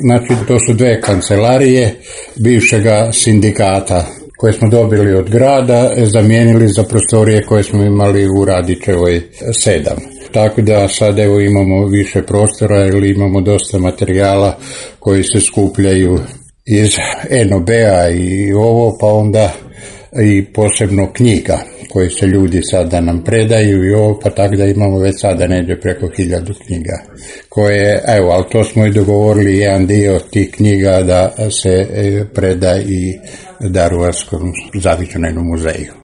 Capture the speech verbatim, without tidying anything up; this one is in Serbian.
znači to su dve kancelarije bivšega sindikata koje smo dobili od grada, zamijenili za prostorije koje smo imali u Radićevoj sedam. Tako da sad evo imamo više prostora ili imamo dosta materijala koji se skupljaju iz en o be-a i ovo, pa onda i posebno knjiga koje se ljudi sada nam predaju i ovo, pa tako da imamo već sada negdje preko hiljadu knjiga koje, evo, ali to smo i dogovorili jedan dio tih knjiga da se preda i Daruvarskom zavičajnom muzeju.